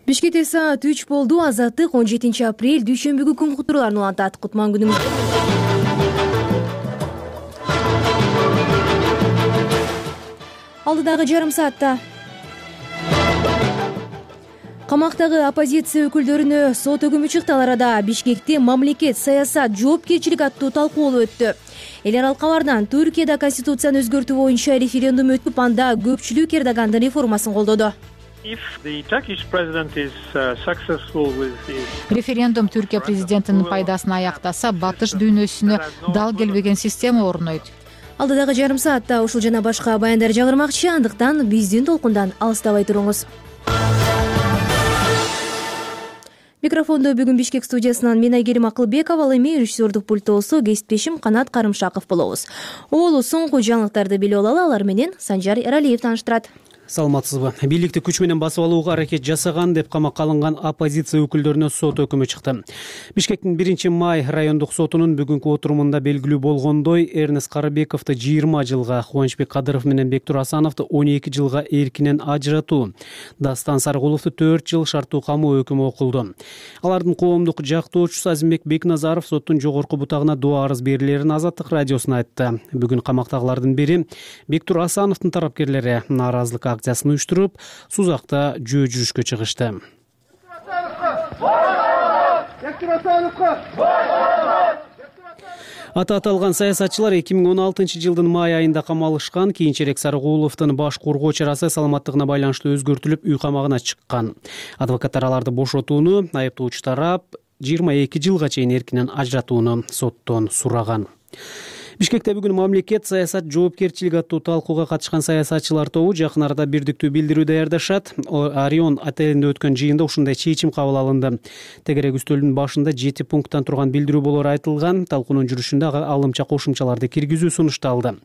Бишкекте саат 3 болду. Азаттык 17 апрель дүйшөмбүгү күн кутурларын улантат. Кутман күнүңүз. Алдыдагы жарым саатта камактагы оппозиция өкүлдөрүнө сот өкүмү чыкты. Ал арада Бишкекте мамлекет саясат жоопкерчилик аттуу талкуулоо өттү. Эл аралык кабардан Түркияда конституцияны өзгөртүү боюнча референдум өтүп, анда көпчүлүк Эрдогандын реформасын колдоду. Референдум Түркия президентинин пайдасына аяктаса, батыш дүйнөсүнө дал келбеген система орнойт. Алдыдагы жарым саатта ушул жана башка баяндар жаңырмакчы, андыктан биздин толкундан алыстабай туруңуз. Микрофондо бүгүн Бишкек студиясынан мен Айгерим Акылбекова, ал эми режиссердук пультосу кесиптешим Канат Карымшаков болобуз. Оолу соңку жаңылыктарды билип алалы, алар менен Санжар Эралиев тааныштырат. Саламатсызбы. Бийликти күч менен басып алууга аракет жасаган деп камакка алынган оппозиция өкүлдөрүнө сот өкүмү чыкты. Бишкектин 1-май райондук сотунун бүгүнкү отурумунда белгилүү болгондой, Эрнест Карыбековду 20 жылга, Кубанычбек Кадыров менен Бектур Асановду 12 жылга эркинен ажыратуу, Дастан Саркуловду 4 жыл шарттуу камоо өкүмү окулду. Алардын коомдук жактоочусу Азимбек Бекназаров соттун жогорку бутагына доо арыз берилерин Азаттык радиосуна айтты. Бүгүн камактагылардын бири Бектур Асановдун тарапкерлери нааразылык акциясын уюштуруп, Сузакта жөө жүрүшкө чыгышты. Аталган саясатчылар 2016 жылдын май айында камалышкан. Кийинчерээк Саркуловдун баш коргоо чарасы саламаттыгына байланыштуу өзгөртүлүп, үй камагына чыккан. Адвокаттар аларды бошотууну, айыптоочу тарап 22 жылга чейин эркинен ажыратууну соттон сураган. Бишкекте бүгүн мамлекет саясат жоопкерчилик аттуу талкууга катышкан саясатчылар тобу жакын арада бирдиктүү билдирүү даярдашат. Орион отелинде өткөн жыйында ушундай чечим кабыл алынды. Тегерек үстөлдүн башында 7 пункттан турган билдирүү болору айтылган. Талкуунун жүрүшүндө алымча кошумчаларды киргизүү сунушталды.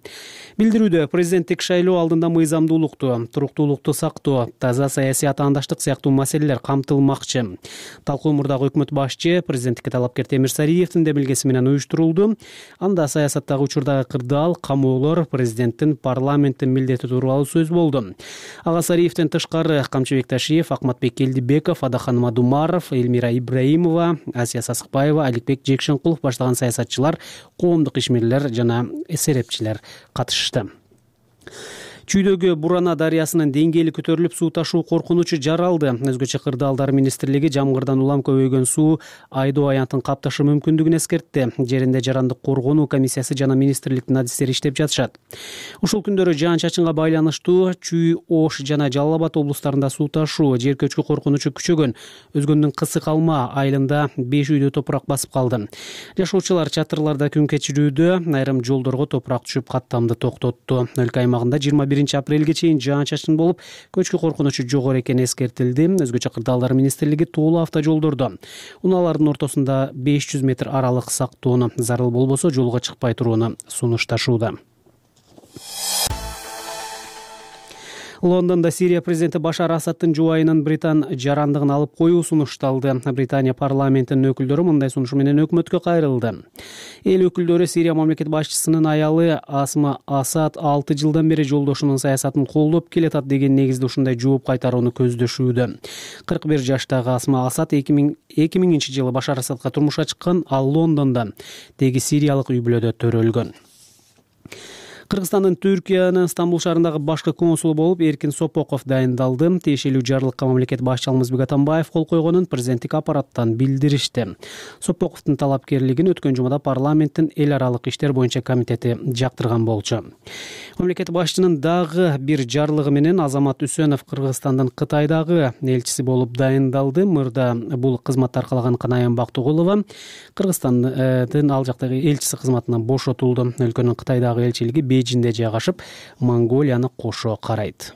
Билдирүүдө президенттик шайлоо алдында мыйзамдуулукту, туруктуулукту сактоо, таза саясий атаандаштык сыяктуу маселелер камтылмакчы. Талкуу мурдагы өкмөт башчы президенттикке талапкер Темир Сариевдин демилгеси менен уюштурулду. Анда саясаттагы учурдагы кырдаал, камоолор, президенттин парламенттин милдети тууралуу сөз болду. Ага Сариевден тышкары Камчыбек Ташиев, Акматбек Келдибеков, Адахан Мадумаров, Эльмира Ибраимова, Асия Сасыкбаева, Аликбек Жекшенкулов баштаган саясатчылар, коомдук ишмерлер жана серепчилер катышты. Чүйдөгү Бурана дарыясынын деңгээли көтөрүлүп, суу ташуу коркунучу жаралды. Өзгөчө Кырдаалдар министрлиги жамгырдан улам көбөйгөн суу Айдоо аянтын капташы мүмкүндүгүн эскертти. Жеринде жарандык коргонуу комиссиясы жана министрликтин адистери иштеп жатышат. Ушул күндөрү жаан-чачынга байланыштуу Чүй, Ош жана Жалал Абад облустарында суу ташуу, жер көчкү коркунучу күчөгөн. Өзгөндүн Кысык Алма айылында 5 үйдө топурак басып калды. Жашоочулар чатырларда күн кечирүүдө, айрым жолдорго топурак түшүп, каттамды токтотту. Өлкө аймагында 21 апрелге чейин жаан-чачын болуп, көчкү коркунучу жогору экени эскертилди. Өзгөчө Кырдаалдар министрлиги тоолуу автожолдордо унаалардын ортосунда 500 метр аралык сактоону, зарыл болбосо жолго чыкпай турууну сунушташууда. Лондонда Сирия президенти Башар Асадтын жубайынын Британ жарандыгын алып коюу сунушталды. Британия парламентинин өкүлдөрү мындай сунушу менен өкмөткө кайрылды. Эл өкүлдөрү Сирия мамлекет башчысынын аялы Асма Асад 6 жылдан бери жолдошунун саясатын колдоп келатат деген негизде ушундай жооп кайтарууну көздөшүүдө. 41 жаштагы Асма Асад 2000 жылы Башар Асадка турмушка чыккан, ал Лондондо теги сириялык үй бүлөдө төрөлгөн. Кыргызстандын Түркиянын Стамбул шаарындагы башкы консулу болуп Эркин Сопоков дайындалды. Тиешелүү жарлыкка мамлекет башчы Алмазбек Атамбаев кол койгонун президенттик аппараттан билдиришти. Сопоковдун талапкерлигин өткөн жумада парламенттин эл аралык иштер боюнча комитети жактырган болчу. Мамлекет башчынын дагы бир жарлыгы менен Азамат Үсөнов Кыргызстандын Кытайдагы элчиси болуп дайындалды. Мурда бул кызматты аркалаган Канаян Бактыгулова Кыргызстандын ал жактагы элчиси кызматынан бошотулду. Өлкөнүн Кытайдагы элчилиги Бейжинде жайгашып, Монголияны кошо карайт.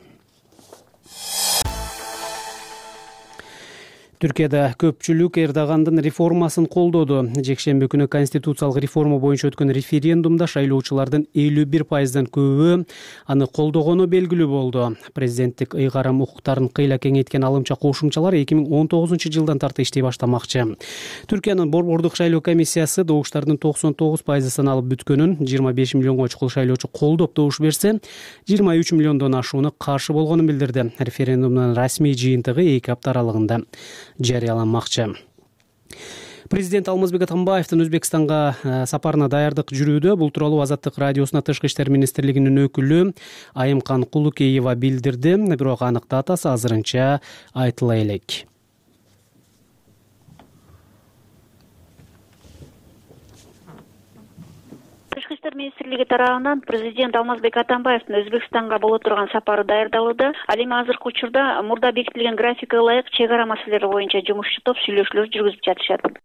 Түркияда көпчүлүк Эрдогандын реформасын колдоду. Жекшемби күнү конституциялык реформа боюнча өткөн референдумда шайлоочулардын 51%дан көбү аны колдогону белгилүү болду. Президенттик ыйгарым укуктарын кыйла кеңейткен алымча кошумчалар 2019-жылдан тарты иштей баштамакчы. Түркиянын борбордук шайлоо комиссиясы добуштардын 99%сын алып бүткөнүн, 25 миллионго чукул шайлоочу колдоп добуш берсе, 23 миллиондон ашууну каршы болгонун билдирди. Референдумдун расмий жыйынтыгы 2 апта аралыгында жарыяланмакчы. Президент Алмазбек Атамбаевдин Өзбекстанга сапарына даярдык жүрүүдө. Бул тууралуу Азаттык радиосуна Тышкы иштер министрлигинин өкүлү Айымкан Кулукеева билдирди. Бирок анык датасы азырынча айтыла элек. Тышкы иштер министрлиги тарабынан президент Алмазбек Атамбаевдин Өзбекстанга боло турган сапары даярдалууда. Ал эми азыркы учурда мурда бекитилген графикке ылайык чек ара маселелери боюнча жумуш топ сүйлөшүүлөр жүргүзүп жатышат.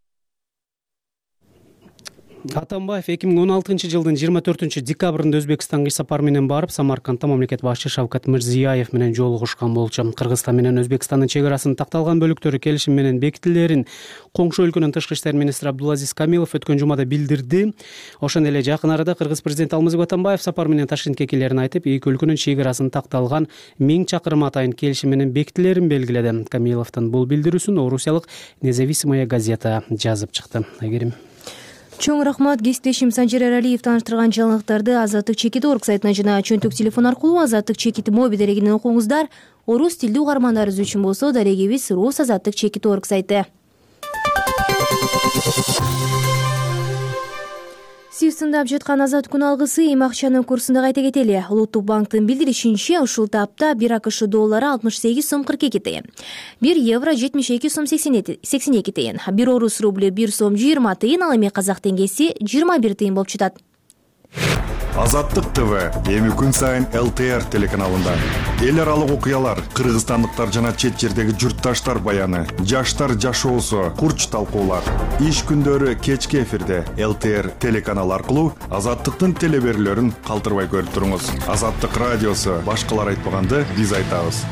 Атамбаев 2016-жылдын 24-декабрында Өзбекстанга иш сапары менен барып, Самаркандта мамлекет башчы Шавкат Мирзиёев менен жолугушкан болчу. Кыргызстан менен Өзбекстандын чек арасын такталган бөлүктөрү келишим менен бекитилерин коңшу өлкөнүн тышкы иштер министри Абдулазиз Камилов өткөн жумада билдирди. Ошондой эле жакын арада кыргыз президенти Алмазбек Атамбаев сапар менен Ташкентке келерин айтып, эки өлкөнүн чек арасын такталган 1000 чакырым атайын келишим менен бекитилерин белгиледи. Камиловдун бул билдирүүсүн орусиялык Независимая газета жазып чыкты. Айгерим. Чоң рахмат. Кесиптешим Санжир Эралиев тааныштырган жаңылыктарды Азаттык Чекит.орг сайтынан жана чөнтөк телефон аркылуу Азаттык Чекит моби дарегинен окуңуздар. Орус тилдүү угармандарыбыз үчүн болсо дарегибиз Рус Азаттык Чекит.орg сайты. Сиз тыңдап жаткан Азат күн алгысы эми акчанын курсунда кайта кетели. Улуттук банктын билдиришинче, ушул тапта 1 АКШ доллары 68 сом 42 тыйын, 1 евро 72 сом 82 тыйын, 1 орус рублю 1 сом 20 тыйын, ал эми казак теңгеси 21 тыйын болуп жатат. Азаттык ТВ эми күн сайын ЛТР телеканалында эл аралык окуялар, кыргызстандыктар жана чет жердеги журтташтар баяны, жаштар жашоосу, курч талкуулар. Иш күндөрү кечки эфирде ЛТР телеканалы аркылуу Азаттыктын телеберүүлөрүн калтырбай көрүп туруңуз. Азаттык радиосу башкалар айтпаганды биз айтабыз.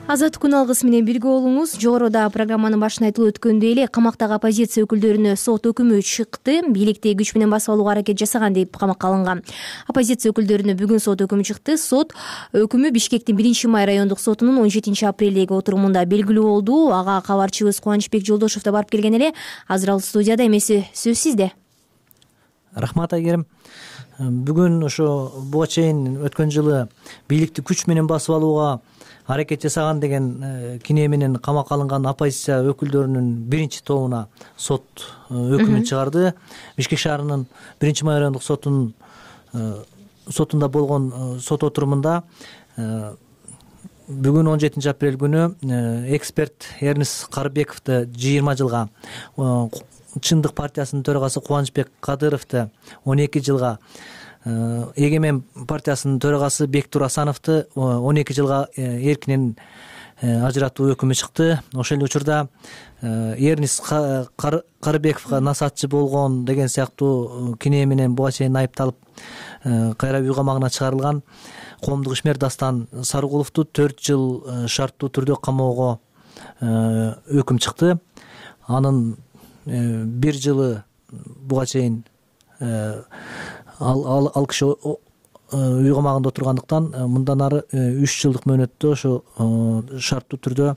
Азат күн алгысы менен бирге болуңуз. Жогоруда программанын башында айтылып өткөндөй эле камактагы оппозиция өкүлдөрүнө сот өкүмү чыкты. Бийликти күч менен басып алууга аракет жасаган деп камакка алынган. Оппозиция өкүлдөрүнө бүгүн сот өкүмү чыкты. Сот өкүмү Бишкектин 1-май райондук сотунун 17-апрелдеги отурумунда белгилүү болду. Ага кабарчыбыз Кубанычбек Жолдошов да барып келген эле. Азыр ал студияда. Эмеси сөз сизде. Рахмат Айгерим. Бүгүн ошо буга чейин өткөн жылы бийликти күч менен басып алууга аракет жасаган деген кине менен камакка алынган оппозиция өкүлдөрүнүн биринчи тобуна сот өкүмүн чыгарды. Бишкек шаарынын 1-май райондук сотунда болгон сот отурумунда бүгүн 17-апрель күнү эксперт Эрнис Карыбековду 20 жылга, Чындык партиясынын төрагасы Кубанычбек Кадыровду 12 жылга, Эгемен партиясынын төрагасы Бектур Асановду 12 жылга эркинен ажыратуу өкүмү чыкты. Ошол эле учурда Эрнис Карыбековго насаатчы болгон деген сыяктуу кине менен буга чейин айыпталып кайра үй камагына чыгарылган коомдук ишмер Дастан Сарыгуловду 4 жыл шарттуу түрдө камоого өкүм чыкты. Анын 1 жылы буга чейин ал киши үй камагында отургандыктан мындан ары 3 жылдык мөөнөттө ошо шарттуу түрдө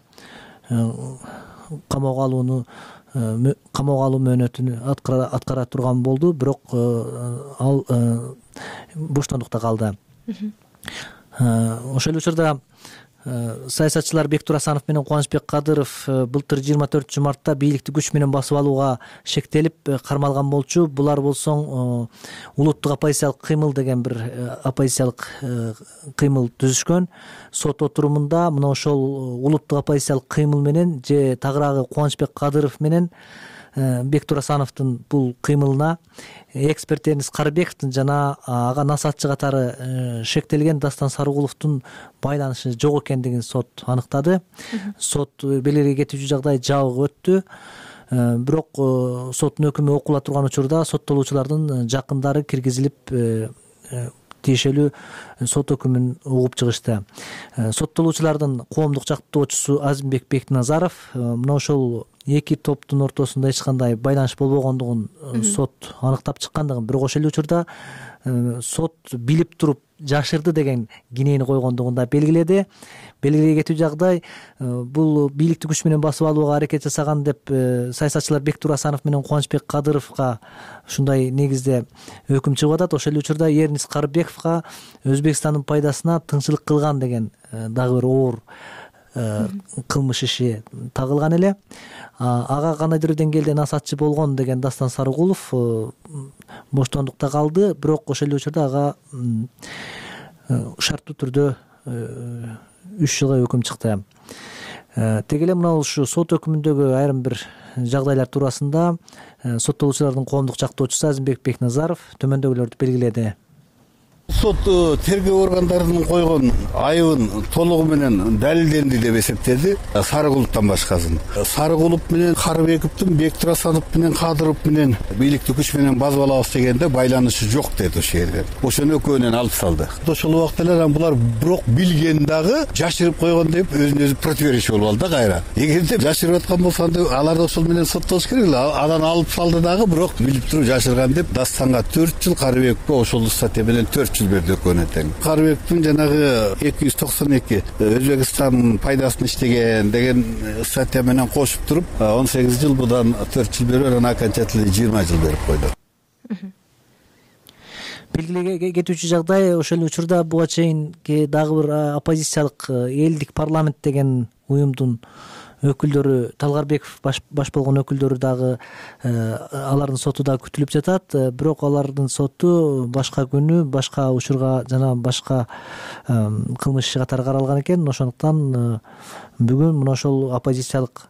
камоого алуу мөөнөтүн аткара турган болду. Бирок ал боштондукта калды. Ошол учурда саясатчылар Бектур Асанов менен Кубанычбек Кадыров былтыр 24 мартта бийликти күч менен басып алууга шектелип кармалган болчу. Булар болсоң улуттук оппозициялык кыймыл деген бир оппозициялык кыймыл түзүшкөн. Сот отурумунда мына ошол улуттук оппозициялык кыймыл менен же тагыраагы Кубанычбек Кадыров менен Бектур Асановдун бул кыймылына эксперт Эрнис Карыбековдун жана ага насаатчы катары шектелген Дастан Сарыгуловдун байланышы жок экендигин сот аныктады. Сот белгилей кетүүчү жагдай жабык өттү. Бирок соттун өкүмү окула турган учурда соттолуучулардын жакындары киргизилип тиешелүү сот өкүмүн угуп чыгышты. Соттолуучулардын коомдук жактоочусу Азимбек Бекназаров мына ошол эки топтун ортосунда эч кандай байланыш болбогондугун сот аныктап чыккандыгын, бирок ошол эле учурда сот билип туруп жашырды деген кинени койгондугун да белгиледи. Белгилей кетүү жагдай, бул бийликти күч менен басып алууга аракет жасаган деп саясатчылар Бектур Асанов менен Кубанычбек Кадыровго ушундай негизде өкүм чыгып атат. Ошол эле учурда Эрнис Карыбековго Өзбекстандын пайдасына тыңчылык кылган деген дагы бир оор кылмыш иши тагылган эле. Ага кандайдыр деңгээлде насаатчы болгон деген Дастан Сарыгулов боштондукта калды, бирок ошол эле учурда ага шарттуу түрдө 3 жылга өкүм чыкты. Теги эле мына ушу сот өкүмүндөгү айрым бир жагдайлар туурасында соттолуучулардын коомдук жактоочусу Азимбек Бекназаров төмөндөгүлөрдү белгиледи. Сот тергөө органдарынын койгон айыбын толугу менен далилденди деп эсептеди. Сарыгуловдон башкасын. Сарыгулов менен Карыбековдун, Бектур Асанов менен Кадыров менен бийликти күч менен басып алабыз дегенде байланышы жок деди ошол жерде. Ошону экөөнөн алып салды. Ошол убакта эле булар бирок билген дагы жашырып койгон деп өзүнө өзү противоречие болуп алды кайра. Эгерде жашырып аткан болсо алар да ошол менен соттолуш керек эле. Анан алып салды дагы, бирок билип туруп жашырган деп Дастанга 4 жыл, Карыбековго ошол статья менен 4 жыл берди экөөнө тең. Карыбековдун жанагы 292 Өзбекстандын пайдасына иштеген деген статья менен кошуп туруп 18 жыл, будан 4 жыл берип, анан окончательно 20 жыл берип койду. Белгилей кетүүчү жагдай, ошол эле учурда буга чейинки дагы бир оппозициялык Элдик парламент деген уюмдун өкүлдөрү, Талгарбеков баш болгон өкүлдөрү дагы алардын соту дагы күтүлүп жатат. Бирок алардын соту башка күнү, башка учурга жана башка кылмыш иши катары каралган экен. Ошондуктан бүгүн мына ошол оппозициялык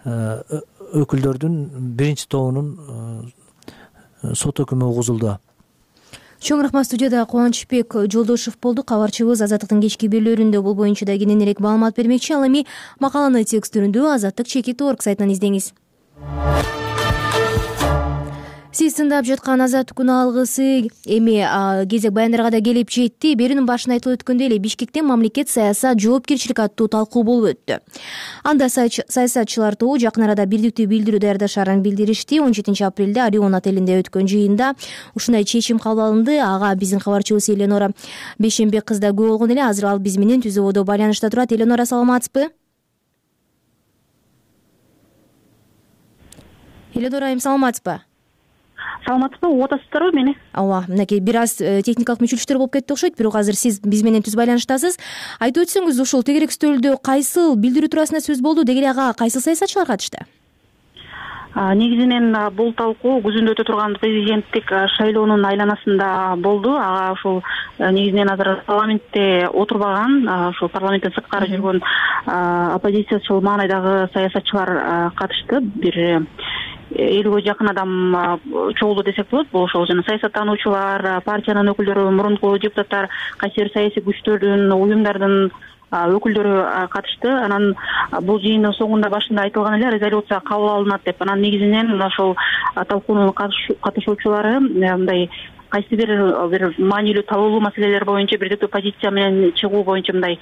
өкүлдөрдүн биринчи тобунун сот өкүмү угузулду. Чоң рахмат. Студияда Кубанычбек Жолдошев болду. Кабарчыбыз Азаттыктын кечки берүүлөрүндө бул боюнча да кененирээк маалымат бермекчи. Ал эми макаланы текстүрүндө Азаттык.org сайтынан издеңиз. Сиз тыңдап жаткан Азаттыктын алгысы эми кезек баяндарга да келип жетти. Берүүнүн башында айтылып өткөндөй эле Бишкекте мамлекет саясат жоопкерчилик аттуу талкуу болуп өттү. Анда саясатчылар тобу жакын арада бирдиктүү билдирүү даярдашарын билдиришти. 17 апрелде Орион отелинде өткөн жыйында ушундай чечим кабыл алынды. Ага биздин кабарчыбыз Эленора Бейшенбек кыз да күбө болгон эле. Азыр ал биз менен түзүүбөдө байланышта турат. Эленора, саламатсызбы? Эленора, саламатсызбы? Саламатсызбы, угуп атасыздарбы мени? Ооба, мынакей бир аз техникалык мүчүлүктөр болуп кетти окшойт, бирок азыр сиз биз менен түз байланыштасыз. Айтып өтсөңүз, ушул тегерек стөлдө кайсыл билдирүү туурасында сөз болду, деги эле ага кайсыл саясатчылар катышты? Негизинен бул талкуу күзүндө өтө турган президенттик шайлоонун айланасында болду. Ага ушул негизинен азыр парламентте отурбаган, ушул парламенттен сырткары жүргөн оппозициячыл маанайдагы саясатчылар катышты. Бир 50 жакын адам чогулду десек болот. Бул ошол жана саясаттануучулар, партиянын өкүлдөрү, мурунку депутаттар, кайсы бир саясий күчтөрдүн, уюмдардын өкүлдөрү катышты. Анан бул жыйындын соңунда башында айтылган эле резолюция кабыл алынат деп. Анан негизинен ошол талкуунун катышуучулары мындай кайсы бир маанилүү табылуу маселелер боюнча бирдиктүү позиция менен чыгуу боюнча мындай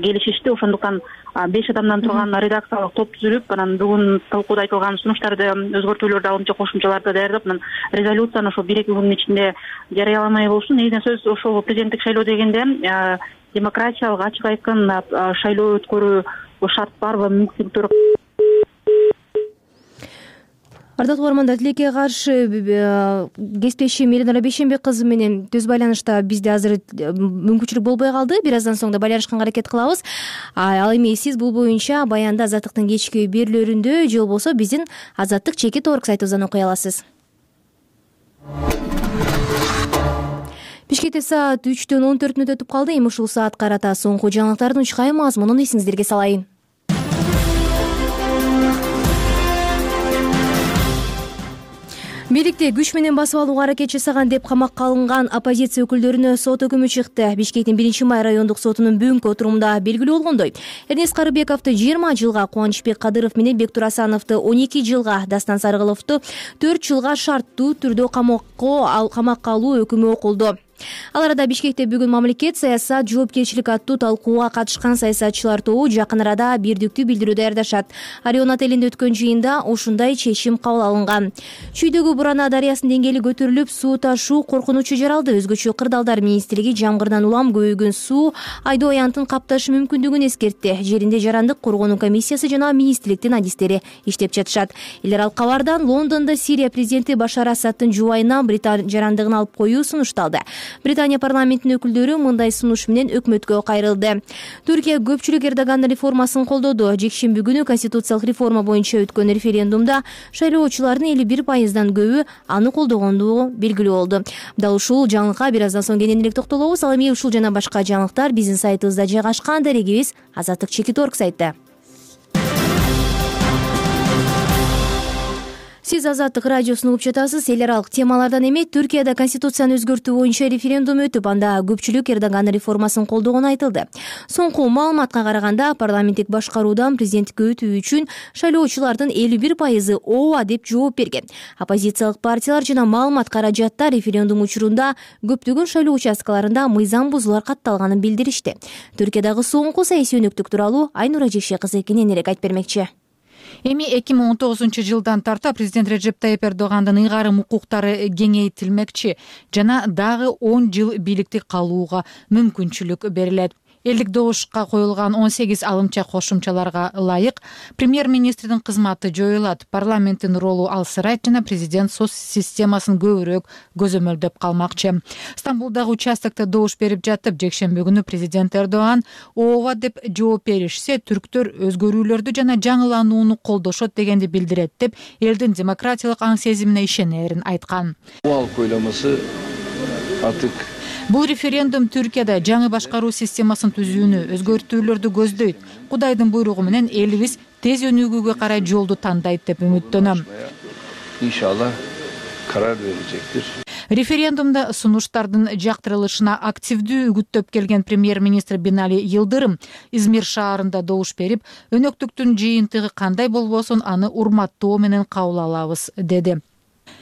келишишти. Ошондуктан 5 адамдан турган редакциялык топ түзүлүп, анан бүгүн талкууда айтылган сунуштарды, өзгөртүүлөрдү алып, кошумчаларды даярдап, анан резолюцияны ошо 1-2 күндүн ичинде жарыяламай болушу. Негизинен сөз ошол президенттик шайлоо дегенде демократиялык, ачык айкын шайлоо өткөрүү шарт барбы, мүмкүндүктөр. Ардактуу угармандар, тилекке каршы кесиптешим Эленора Бейшенбек кызы менен түз байланышта бизде азыр мүмкүнчүлүк болбой калды. Бир аздан соң да байланышканга аракет кылабыз. Ал эми сиз бул боюнча баянда Азаттыктын кечки берүүлөрүндө же болбосо биздин Азаттык.org сайтыбыздан окуй аласыз. Бишкекте саат 3-төн 14 мүнөт өтүп калды. Эми ушул саат карата соңку жаңылыктардын учкай мазмунун эсиңиздерге салайын. Бийликти күч менен басып алууга аракет жасаган деп камакка алынган оппозиция өкүлдөрүнө сот өкүмү чыкты. Бишкектин 1-май райондук сотунун бүгүнкү отурумунда белгилүү болгондой, Эрнис Карыбековду 20 жылга, Кубанычбек Кадыров менен Бектур Асановду 12 жылга, Дастан Сарыгуловду 4 жылга шарттуу түрдө камакка алуу өкүмү окулду. Ал арада Бишкекте бүгүн мамлекет саясат жоопкерчилик аттуу талкууга катышкан саясатчылар тобу жакын арада бирдиктүү билдирүү даярдашат. Орионат элинде өткөн жыйында ушундай чечим кабыл алынган. Чүйдөгү Бурана дарыясынын деңгээли көтөрүлүп, суу ташуу коркунучу жаралды. Өзгөчө Кырдаалдар министрлиги жамгырдан улам көбөйгөн суу Айдоо аянтын капташы мүмкүндүгүн эскертти. Жеринде жарандык коргонуу комиссиясы жана министрликтин адистери иштеп жатышат. Элер ал кабардан Лондондо Сирия президенти Башар Асадтын жубайынан Британия жарандыгын алып коюу сунушталды. Британия парламентинин өкүлдөрү мындай сунуш менен өкмөткө кайрылды. Түркия көпчүлүк Эрдогандын реформасын колдоду. Жекшемби күнү конституциялык реформа боюнча өткөн референдумда шайлоочулардын 51%дан көбү аны колдогондугу белгилүү болду. Дал ушул жаңылыкка бир аздан соң кененирээк токтолобуз. Ал эми ушул жана башка жаңылыктар биздин сайтыбызда жайгашкан. Дарегибиз azatlyk.org сайтта. Сиз Азаттык радиосун угуп жатасыз. Эл аралык темалардан эми Түркияда конституцияны өзгөртүү боюнча референдум өтүп, анда көпчүлүк Эрдогандын реформасын колдогону айтылды. Соңку маалыматка караганда парламенттик башкаруудан президенттикке өтүү үчүн шайлоочулардын 51% ооба деп жооп берген. Оппозициялык партиялар жана маалымат каражатта референдум учурунда көптөгөн шайлоо участкаларында мыйзам бузуулар катталганын билдиришти. Түркиядагы соңку саясий өнүктүк тууралуу Айнура Жекше кызы кененирээк айтып бермекчи. Эми 2019-жылдан тарта президент Режеп Тайип Эрдогандын ыйгарым укуктары кеңейтилмекчи жана дагы 10 жыл бийликте калууга мүмкүнчүлүк берилет. Элдик добушка коюлган 18 алымча кошумчаларга ылайык премьер-министрдин кызматы жоюлат, парламенттин ролу алсырайт жана президент соц системасын көбүрөөк көзөмөлдөп калмакчы. Стамбулдагы участокто добуш берип жатып, жекшемби күнү президент Эрдоган ооба деп жооп беришсе, түрктөр өзгөрүүлөрдү жана жаңыланууну колдошот дегенди билдирет деп элдин демократиялык аң сезимине ишенерин айткан. Бул референдум Түркияда жаңы башкаруу системасын түзүүнү, өзгөртүүлөрдү көздөйт. Кудайдын буйругу менен элибиз тез өнүгүүгө карай жолду тандайт деп үмүттөнөм. İnşallah karar verecektir. Референдумда сунуштардын жактырылышына активдүү үгүттөп келген премьер-министр Бинали Йылдырым Измир шаарында добуш берип, өнөктүктүн жыйынтыгы кандай болбосун аны урматтоо менен кабыл алабыз деди.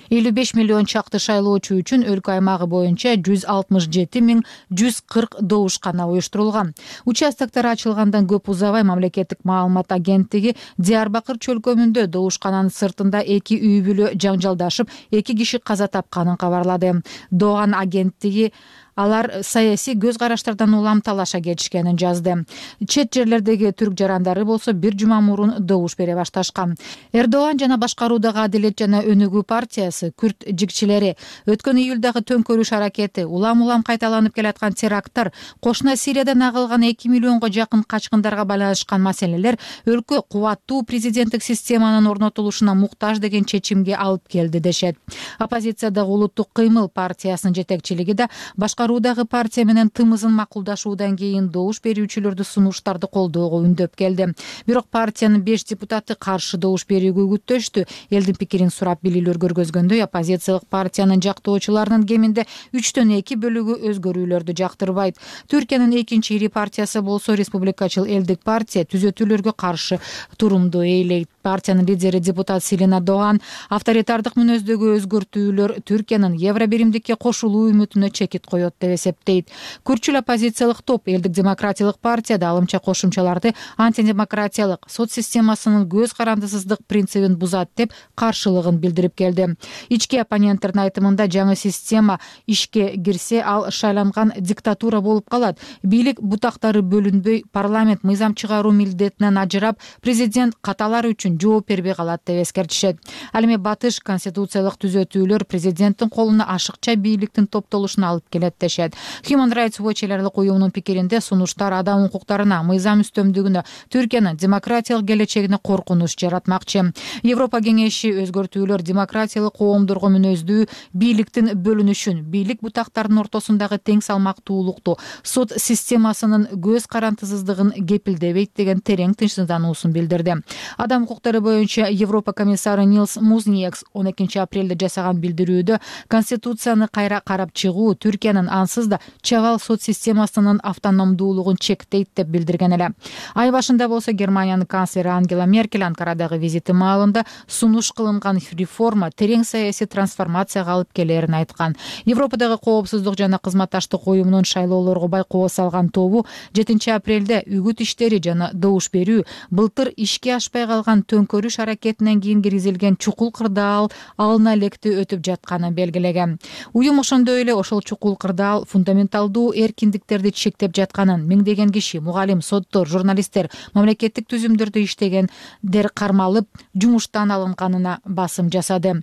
55 миллион чакты шайлоочу үчүн өлкө аймагы боюнча 167.140 добушкана уюштурулган. Участоктор ачылгандан көп узабай мамлекеттик маалымат агенттиги Диярбакыр чөлкөмүндө добушкананын сыртында 2 үй бүлө жаңжалдашып, 2 киши каза тапканын кабарлады. Дооган агенттиги алар саясий көз караштардан улам талаша кетишкенин жазды. Чет жерлердеги түрк жарандары болсо бир жума мурун добуш бере башташкан. Эрдоган жана башкаруудагы Адилет жана Өнүгүү партиясы күрд жигчилери өткөн июлдагы төңкөрүш аракети, улам кайталанып келаткан теракттар, кошуна Сириядан агылган 2 миллионго жакын качкындарга байланышкан маселелер өлкө кубаттуу президенттик системанын орнотулушуна муктаж деген чечимге алып келди дешет. Оппозициядагы Улуттук кыймыл партиясынын жетекчилиги да башкаруудагы партия менен тымызын макулдашуудан кийин добуш берүүчүлөрдү сунуштарды колдоого үндөп келди. Бирок партиянын 5 депутаты каршы добуш берүүгө күттөштү. Элдин пикирин сурап билүүлөр көргөзгөндөй, оппозициялык партиянын жактоочуларынын кеминде 3/2 бөлүгү өзгөрүүлөрдү жактырбайт. Түркиянын экинчи ири партиясы болсо Республикачыл элдик партия түзөтүүлөргө каршы турумду ээлейт. Партиянын лидери депутат Селина Доган авторитардык мүнөздөгү өзгөртүүлөр Түркиянын Евробиримдикке кошулуу үмүтүнө чекит коет деп эсептейт. Күрчүл оппозициялык топ элдик демократиялык партияда алымча кошумчаларды антидемократиялык соц системасынын көз карандысыздык принцибин бузат деп каршылыгын билдирип келди. Ички оппоненттердин айтымында жаңы система ишке кирсе, ал шайланган диктатура болуп калат. Бийлик бутактары бөлүнбөй, парламент мыйзам чыгаруу милдетинен ажырап, президент каталар үчүн жооп бербей калат деп эскертишет. Ал эми батыш конституциялык түзөтүүлөр президенттин колуна ашыкча бийликтин топтолушуна алып келет дешет. Human Rights Watch элдик уюмунун пикиринде сунуштар адам укуктарына, мыйзам үстөмдүгүнө, Түркиянын демократиялык келечегине коркунуч жаратмакчы. Европа кеңеши өзгөртүүлөр демократиялык коомдорго мүнөздүү, бийликтин бөлүнүшүн, бийлик бутактарынын ортосундагы тең салмактуулукту, сот системасынын көз карандысыздыгын кепилдебейт деген терең тынчсыздануусун билдирди. Адам укуктары боюнча Европа комиссары Нилс Музниекс 12 апрелде жасаган билдирүүдө конституцияны кайра карап чыгуу Түркиянын болгон, ансыз да чабал сот системасынын автономдуулугун чектейт деп билдирген эле. Ай башында болсо Германиянын канцлери Ангела Меркель Анкарадагы визити маалында сунуш кылынган реформа терең саясий трансформацияга алып келерин айткан. Европадагы коопсуздук жана кызматташтык уюмунун шайлоолорго байкоо салган тобу 7 апрелде үгүт иштери жана добуш берүү, былтыр ишке ашпай калган төңкөрүш аракетинен кийин киргизилген чукул кырдаал алына электе өтүп жатканын белгилеген. Уюм ошондой эле ошол чукул кырдаал фундаменталдуу эркиндиктерди чектеп жатканын, миңдеген киши, мугалим, соттор, журналисттер, мамлекеттик түзүмдөрдө иштегендер кармалып, жумуштан алынганына басым жасады.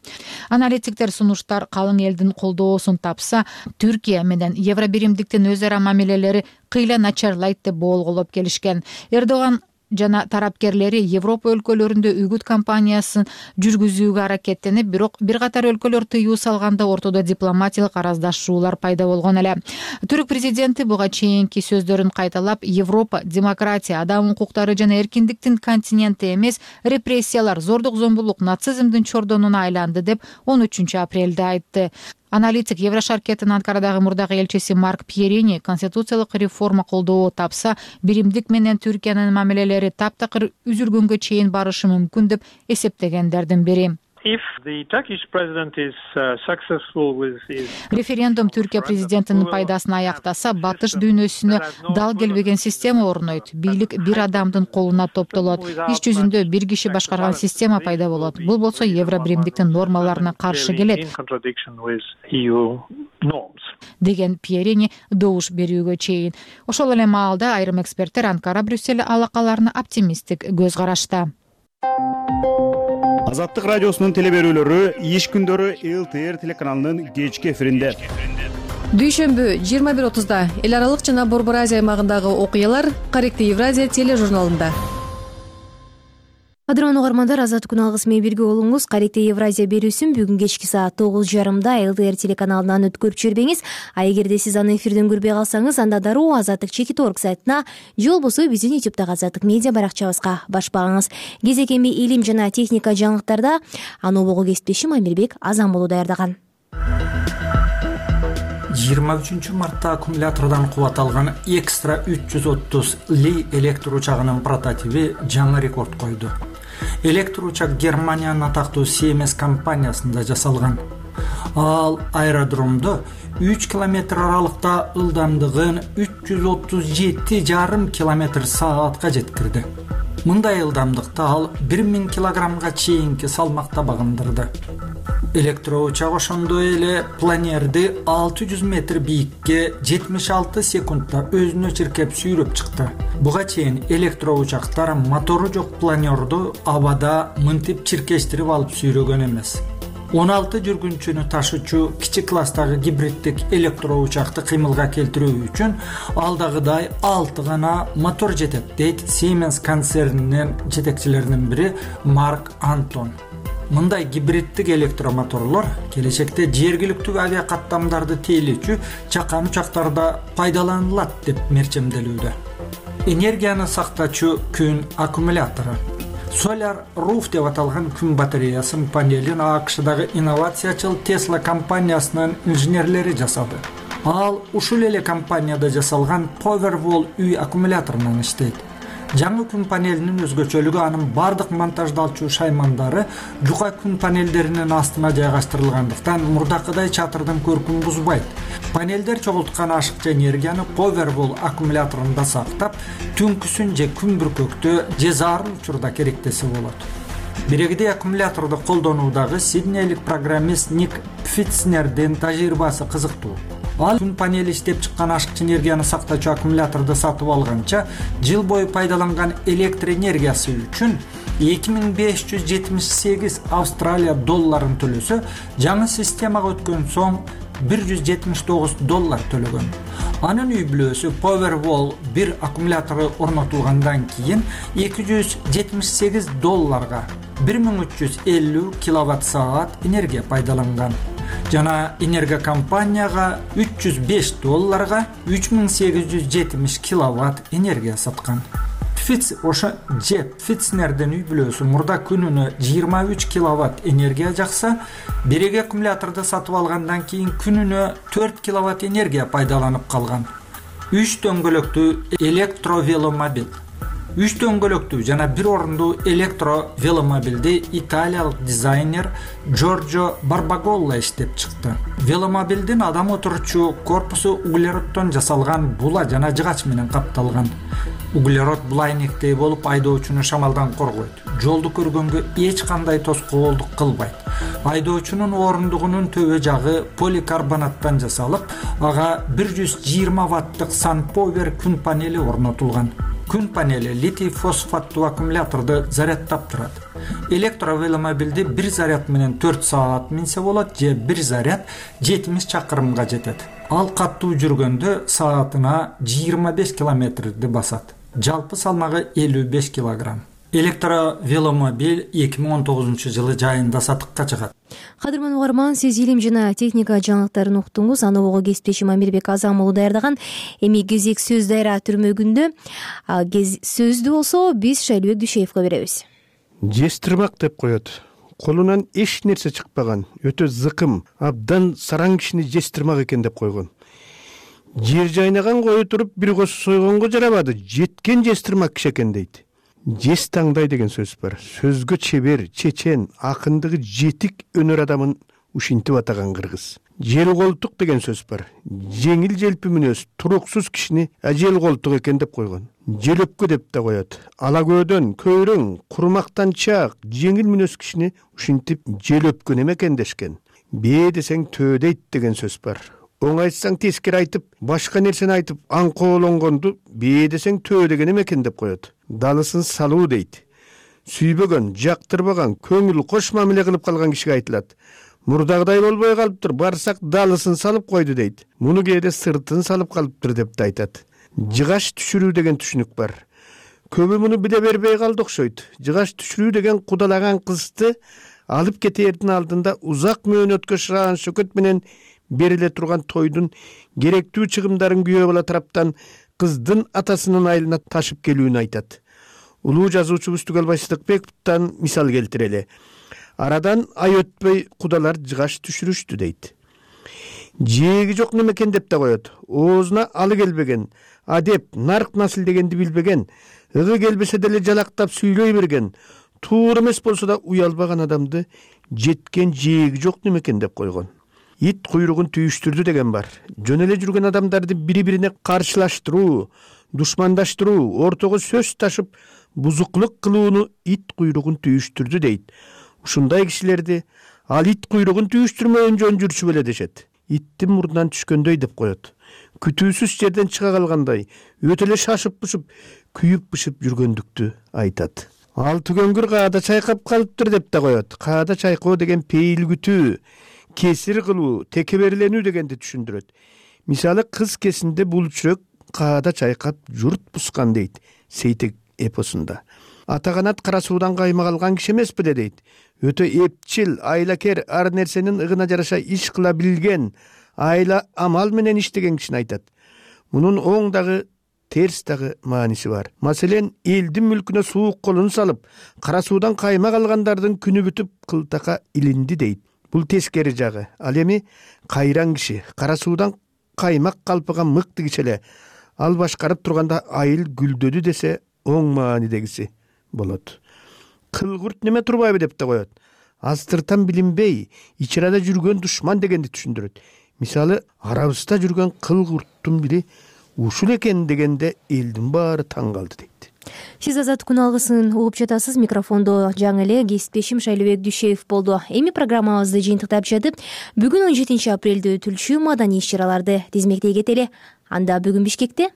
Аналитиктер сунуштар калың элдин колдоосун тапса, Түркия менен Евробиримдиктин өз ара мамилелери кыйла начарлайт деп болголоп келишкен. Эрдоган жана тарапкерлери Европа өлкөлөрүндө үгүт кампаниясын жүргүзүүгө аракеттенип, бирок бир катар өлкөлөр тыюу салганда ортодо дипломатиялык араздашуулар пайда болгон эле. Түрк президенти буга чейинки сөздөрүн кайталап, Европа демократия, адам укуктары жана эркиндиктин континенти эмес, репрессиялар, зордук зомбулук, нацизмдин чордонуна айланды деп 13 апрелде айтты. Аналитик Еврошаркеттин Анкарадагы мурдагы элчиси Марк Пьерини конституциялык реформа колдоо тапса, биримдик менен Түркиянын мамилелери таптакыр үзүлгөнгө чейин барышы мүмкүн деп эсептегендердин бири. Референдум Түркия президентинин пайдасына аяктаса, батыш дүйнөсүнө дал келбеген система орнойт. Бийлик бир адамдын колуна топтолот. Иш жүзүндө бир киши башкарган система пайда болот. Бул болсо Евробиримдиктин нормаларына каршы келет, деген Пьерини добуш берүүгө чейин. Ошол эле маалда айрым эксперттер Анкара-Брюссель алакаларына оптимисттик көз карашта. Азаттык радиосунун телеберүүлөрү иш күндөрү ЛТР телеканалынын кечки эфиринде. Дүйшөмбү 21:30 эл аралык жана Борбор Азия аймагындагы окуялар Корректив Евразия тележурналында. Кадырлуу угармандар, Азаттык күн алгысы менен бирге болуңуз. Корректив Евразия берүүсүн бүгүн кечки саат 9:30 ЛТР телеканалынан өткөрүп жибербеңиз. А эгерде сиз аны эфирден көрбөй калсаңыз, анда дароо azattik.org сайтына же болбосо биздин YouTube'дагы Азаттык медиа баракчабызга баш багыңыз. Кезекеме илим жана техника жаңылыктарда Анобого кесиптешим Амирбек Азамболу даярдаган. 23 мартта аккумулятордон кубат алган Extra 330 Li электр учагынын прототиби жаңы рекорд койду. Электр учак Германиянын атактуу Siemens компаниясында жасалган. Ал аэродромдо 3 километр аралыкта ылдамдыгын 337,5 км/саатка жеткирди. Мындай ылдамдыкта ал 1000 килограммга чейинки салмакта багындырды. Электроучак ошондой эле планерди 600 метр бийикке 76 секундта өзүнө чиркеп сүйрөп чыкты. Буга чейин электроучактар мотору жок планерду абада мынтип чиркештирип алып сүйрөгөн эмес. 16 жүргүнчүнү ташуучу кичи класстагы гибриддик электроучакты кыймылга келтирүү үчүн алдагыдай 6 гана мотор жетет, дейт Siemens концернинин жетекчилеринин бири Марк Антон. Мындай гибриддик электромоторлор келечекте жергиликтүү авиакаттамдарды тейлөөчү чакан учактарда пайдаланылат деп мерчемделүүдө. Энергияны сактачу күн аккумулятору. Solar Roof деп аталган күн батареясын панелин АКШдагы инновациячыл Tesla компаниясынын инженерлери жасады. Ал ушул эле компанияда жасалган Powerwall үй аккумуляторунан иштейт. Жаңы күн панелинин өзгөчөлүгү анын бардык монтаждалчу шаймандары жука күн панелдеринин астына жайгаштырылгандыктан мурдакыдай чатырдын көркүн бузбайт. Панелдер чогулткан ашыкча энергияны Powerwall аккумуляторунда сактап, түнкүсүн же күн бүркөктө же зарыл учурда керектесе болот. Бирегидей аккумуляторду колдонуудагы сиднейлик программист Ник Пфитцнердин тажрыйбасы кызыктуу. Ал күн панели иштеп чыккан ашыкча энергияны сактачу аккумуляторду сатып алганча, жыл бою пайдаланган электр энергиясы үчүн 2578 Австралия долларын төлөсө, жаңы системага өткөн соң $179 төлөгөн. Анын үй бүлөсү Powerwall 1 аккумулятору орнотулгандан кийин $278 1350 киловатт-саат энергия пайдаланган. Жана энергия компанияга $305 3870 киловатт энергия саткан. Фитцнердин үй бүлөсү мурда күнүнө 23 киловатт энергия жакса, бирек аккумуляторду сатып алгандан кийин күнүнө 4 киловатт энергия пайдаланып калган. 3 дөңгөлөктүү электровеломобил. 3 дөңгөлөктүү жана 1 орундуу электровеломобилди италиялык дизайнер Джорджо Барбаголла иштеп чыкты. Веломобилдин адам отурчу корпусу углероддон жасалган була жана жыгач менен капталган. Углерод булайнектей болуп айдоочуну шамалдан коргойт. Жолду көргөнгө эч кандай тоскоолдук кылбайт. Айдоочунун орундугунун төбө жагы поликарбонаттан жасалып, ага 120 ваттык SunPower күн панели орнотулган. Күн панели литий фосфаттуу аккумуляторду зарядтап турат. Электровеломобилди бир заряд менен 4 саат минсе болот же бир заряд 70 чакырымга жетет. Ал каттуу жүргөндө саатына 25 километрди басат. Жалпы салмагы 55 килограмм. Электровеломобил 2019 жылы жайында сатыкка чыгат. Кадырман угарман, сиз илим жана техника жаңылыктарын уктуңуз. Аны ого кесиптешим Амирбек Азам уулу даярдаган. Эми кезек сөз дайра түрмөгүндө. Сөздү болсо биз Шайлыбек Дүйшеевге беребиз. Жестирмак деп коет. Колунан эч нерсе чыкпаган, өтө зыкым, абдан сараң кишини жестирмак экен деп койгон. Жер жайнаган кою туруп бир кос сойгонго жарабады, жеткен жестирмак киши экен дейт. Жес таңдай деген сөз бар. Сөзгө чебер, чечен, акындыгы жетик өнөр адамын ушинтип атаган кыргыз. Жел колтук деген сөз бар. Жеңил желпи мүнөз, туруксуз кишини жел колтук экен деп койгон. Желөпкө деп да коет. Ала көөдөн, көйрөң, курмактанчак, жеңил мүнөз кишини ушинтип желөпкө неме экен дешкен. Бээ десең төө дейт деген сөз бар. Оң айтсаң тескери айтып, башка нерсени айтып, аңкоолонгонду бээ десең төө деген эме экен деп коет. Далысын салуу дейт. Сүйбөгөн, жактырбаган, көңүл кош мамиле кылып калган кишиге айтылат. Мурдагыдай болбой калыптыр, барсак далысын салып койду дейт. Муну кээде сыртын салып калыптыр деп да айтат. Жыгаш түшүрүү деген түшүнүк бар. Көбү муну биле бербей калды окшойт. Жыгаш түшүрүү деген кудалаган кызды алып кетээрдин алдында узак мөөнөткө шыраан шөкөт менен бериле турган тойдун керектүү чыгымдарын күйөө бала тараптан кыздын атасынын айылына ташып келүүнү айтат. Улуу жазуучубуз Түгөлбай Сыдыкбековдон мисал келтирели. Арадан ай өтпөй кудалар жыгаш түшүрүштү дейт. Жээги жок немекен деп да коет. Оозуна алы келбеген, адеп, нарк насыл дегенди билбеген, ыгы келбесе деле жалактап сүйлөй берген, туура эмес болсо да уялбаган адамды жеткен жээги жок немекен деп койгон. Ит куйругун түйүштүрдү деген бар. Жөн эле жүргөн адамдарды бири-бирине каршылаштыруу, душмандаштыруу, ортого сөз ташып, бузуклук кылууну ит куйругун түйүштүрдү дейт. Ушундай кишилерди ал ит куйругун түйүштүрмөөн жөн жүрчү беле дешет. Иттин мурдунан түшкөндөй деп коет. Күтүүсүз жерден чыга калгандай, өтө эле шашып-бышып, күйүп-бышып жүргөндүктү айтат. Ал түгөнгүр каада чайкап калыптыр деп да коет. Каада чайкоо деген пейил күтүү, кесир кылуу, текеберленүү дегенди түшүндүрөт. Мисалы кыз кесинде бул чүрөк каада чайкап журт бускан дейт Сейтек эпосунда. Ата канат кара суудан каймак алган киши эмеспи дейт. Өтө эпчил, айлакер, ар нерсенин ыгына жараша иш кыла билген, айла амал менен иштеген кишини айтат. Мунун оң дагы терс дагы мааниси бар. Маселен, элдин мүлкүнө суук колун салып, кара суудан каймак алгандардын күнү бүтүп кылтака илинди дейт. Бул тескери жагы. Ал эми кайран киши, кара суудан каймак калпыган мыкты киши эле. Ал башкарып турганда айыл гүлдөдү десе оң маанидегиси болот. Кылгурт неме турбайбы деп да коет. Астыртан билинбей, ичарада жүргөн душман дегенди түшүндүрөт. Мисалы, арабызда жүргөн кылгурттун бири ушул экен дегенде элдин баары таң калды дейт. Сиз Азат күн алгысын угуп жатасыз. Микрофондо жаңы эле кесиптешим Шайлыбек Дүйшеев болду. Эми программабызды жыйынтыктап жатып, бүгүн 17 апрелде өтүлчү маданий иш-чараларды тизмектей кетели. Анда бүгүн Бишкекте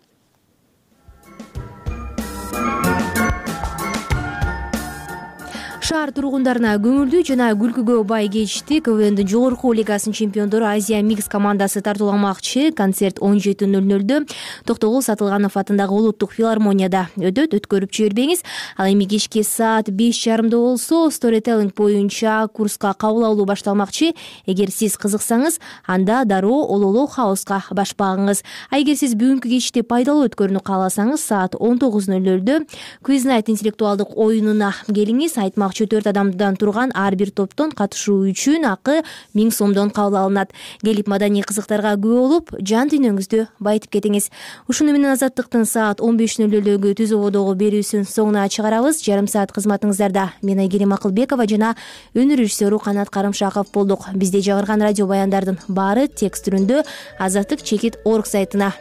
Шаар тургундарына көңүлдүү жана күлкүгө бай кечти КВНдин жогорку лигасынын чемпиондору Азия Микс командасы тартууламакчы. Концерт 17:00 Токтогул Сатылганов атындагы улуттук филармонияда өтөт. Өткөрүп жибербеңиз. Ал эми кечки саат 5:30 болсо Storytelling боюнча курска кабыл алуу башталмакчы. Эгер сиз кызыксаңыз, анда дароо Ололо хауска баш багыңыз. Эгер сиз бүгүнкү кечти пайдалуу өткөрүүнү кааласаңыз, саат 19:00 Quiz Night интеллектуалдык оюнуна келиңиз. Айтмакчы 4 адамдан турган ар бир топтон катышуу үчүн акы 1000 сомдон кабыл алынат. Келип маданий кызыктарга күбө болуп, жан дүйнөңүздү байытып кетиңиз. Ушуну менен Азаттыктын саат 15:00 түз ободогу берүүсүн соңуна чыгарабыз. Жарым саат кызматыңыздарда мен Айгерим Акылбекова жана өнөр режиссеру Канат Карымшаков болдук. Бизде жагырган радио баяндардын баары текст түрүндө azattik.org сайтына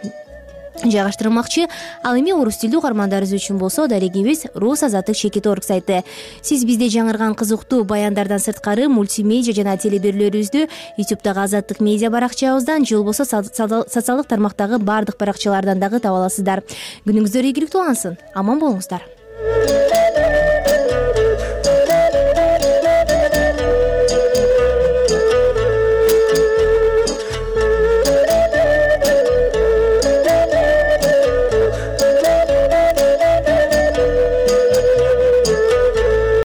жайгаштырылмакчы. Ал эми орус тилдүү угармандарыбыз үчүн болсо дарегибиз rus.azattik.org сайты. Сиз бизде жаңырган кызыктуу баяндардан сырткары мультимедиа жана телеберүүлөрүбүздү YouTube'дагы Азаттык медиа баракчабыздан же болбосо социалдык тармактагы бардык баракчалардан дагы таба аласыздар. Күнүңүздөр ийгиликтүү болсун. Аман болуңуздар.